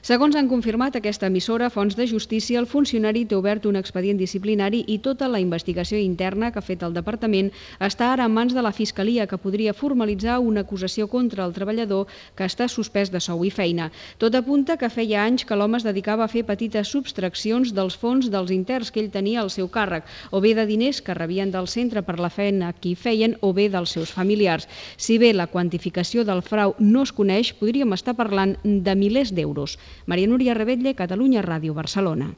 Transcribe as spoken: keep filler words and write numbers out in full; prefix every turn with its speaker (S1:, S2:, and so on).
S1: Segons han confirmat aquesta emissora, fonts de justícia, el funcionari té obert un expedient disciplinari i tota la investigació interna que ha fet el departament està ara en mans de la Fiscalia, que podria formalitzar una acusació contra el treballador que està suspès de sou i feina. Tot apunta que feia anys que l'home es dedicava a fer petites subtraccions dels fons dels interns que ell tenia al seu càrrec, o bé de diners que rebien del centre per la feina que hi feien, o bé dels seus familiars. Si bé la quantificació del frau no es coneix, podríem estar parlant de milers d'euros. Maria Núria Rebetlle, Catalunya Ràdio, Barcelona.